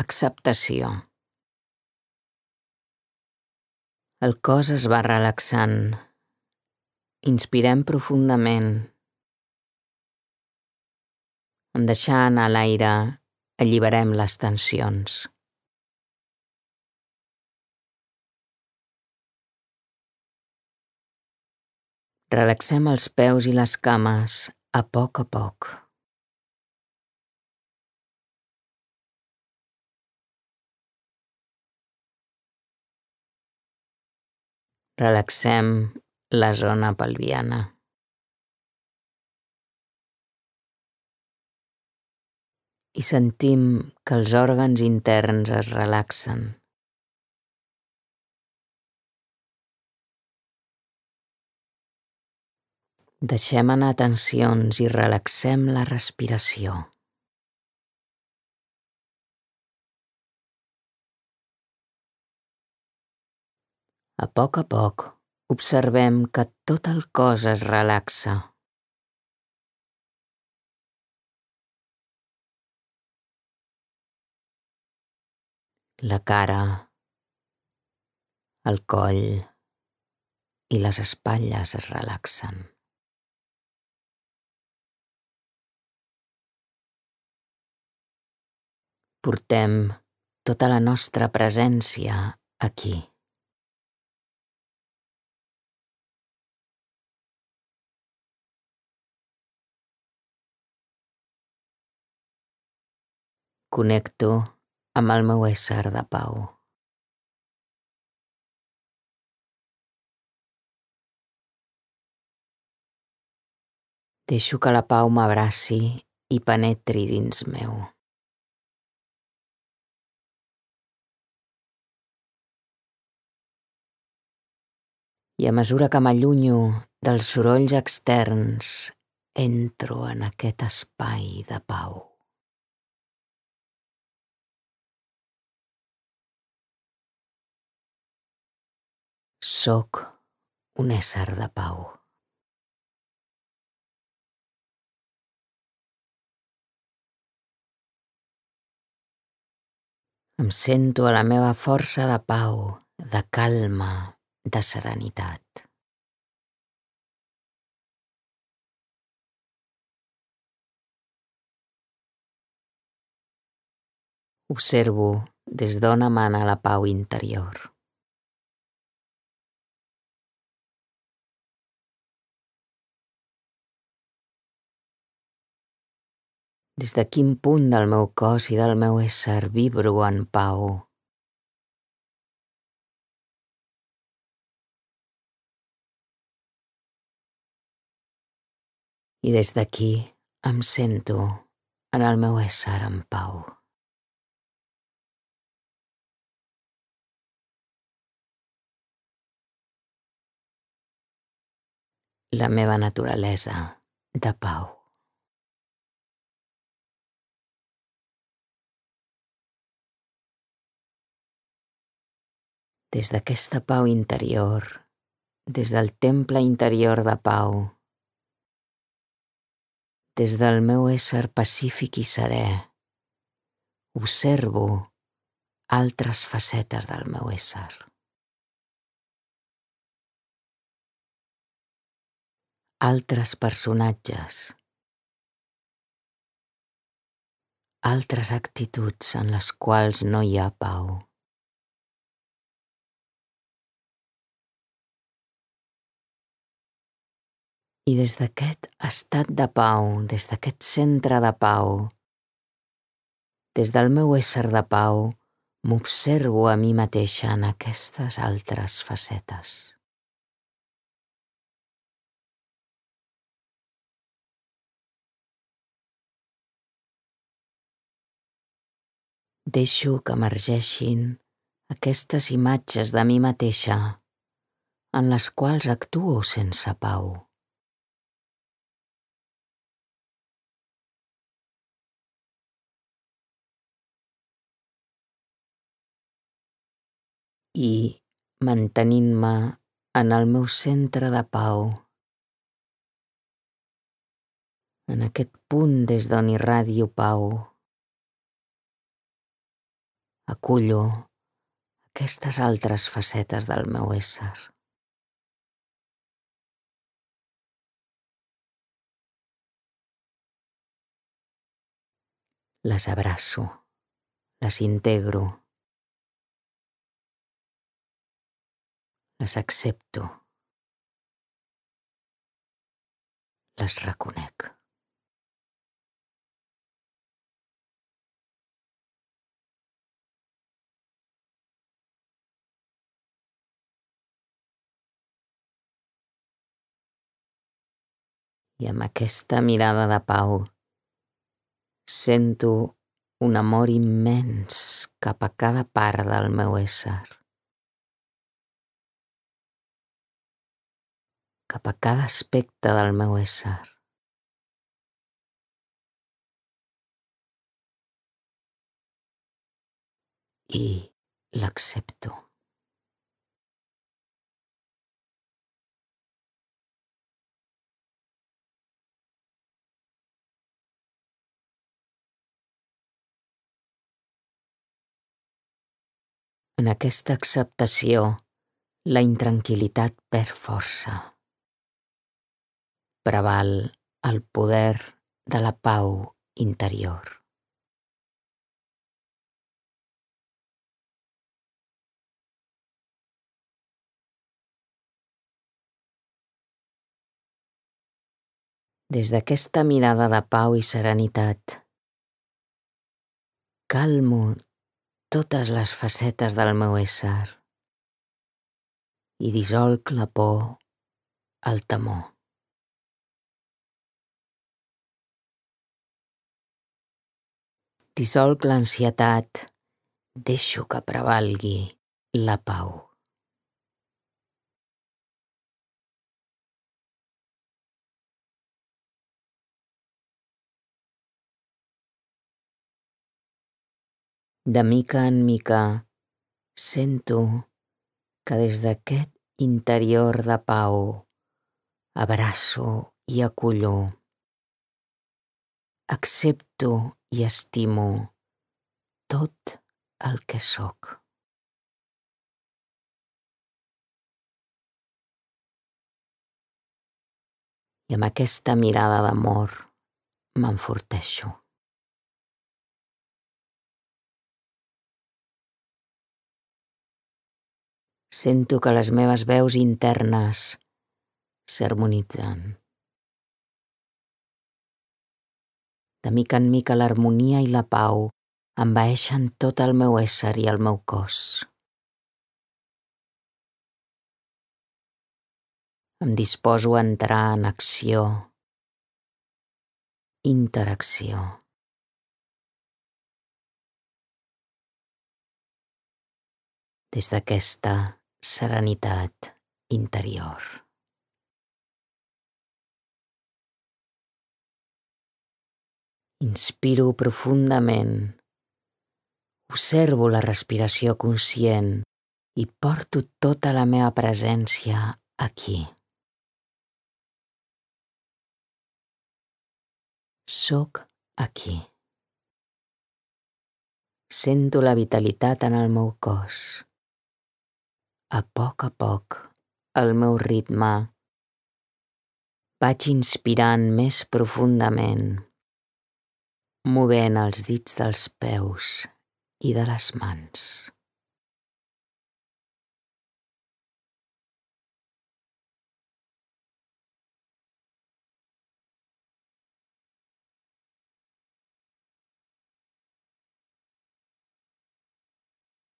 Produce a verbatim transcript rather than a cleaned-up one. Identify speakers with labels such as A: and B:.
A: acceptació. El cos es va relaxant. Inspirem profundament. En deixar anar l'aire, alliberem les tensions. Relaxem els peus i les cames a poc a poc. Relaxem la zona pelviana. I sentim que els òrgans interns es relaxen. Deixem anar tensions i relaxem la respiració. A poc a poc observem que tot el cos es relaxa. La cara, el coll i les espatlles es relaxen. Portem tota la nostra presència aquí. Connecto amb el meu ésser de pau. Deixo que la pau m'abraci i penetri dins meu. I a mesura que m'allunyo dels sorolls externs, entro en aquest espai de pau. Soc un ésser de pau. Em sento a la meva força de pau, de calma, de serenitat. Observo des d'on emana la pau interior. Des de quin punt del meu cos i del meu ésser vibro en pau. I des d'aquí em sento en el meu ésser en pau. La meva naturalesa de pau. Des d'aquesta pau interior, des del temple interior de pau, des del meu ésser pacífic i serè, observo altres facetes del meu ésser. Altres personatges. Altres actituds en les quals no hi ha pau. I des d'aquest estat de pau, des d'aquest centre de pau, des del meu ésser de pau, m'observo a mi mateixa en aquestes altres facetes. Deixo que emergeixin aquestes imatges de mi mateixa en les quals actuo sense pau. I, mantenint-me en el meu centre de pau, en aquest punt des d'on irradio pau, Acullo aquestes altres facetes del meu ésser. Les abraço, les integro, les accepto, les reconec. I amb aquesta mirada de pau sento un amor immens cap a cada part del meu ésser, cap a cada aspecte del meu ésser. I l'accepto. En aquesta acceptació, la intranquil·litat perd força. Preval el poder de la pau interior. Des d'aquesta mirada de pau i serenitat, calmo totes les facetes del meu ésser i dissolc la por, el temor. Dissolc l'ansietat, deixo que prevalgui la pau. De mica en mica sento que des d'aquest interior de pau abraço i acullo, accepto i estimo tot el que sóc. I amb aquesta mirada d'amor m'enforteixo. Sento que les meves veus internes s'harmonitzen. De mica en mica l'harmonia i la pau envaeixen tot el meu ésser i el meu cos. Em disposo a entrar en acció, interacció. Des d'aquesta serenitat interior. Inspiro profundament, observo la respiració conscient i porto tota la meva presència aquí. Soc aquí. Sento la vitalitat en el meu cos. A poc a poc, al meu ritme, vaig inspirant més profundament, movent els dits dels peus i de les mans.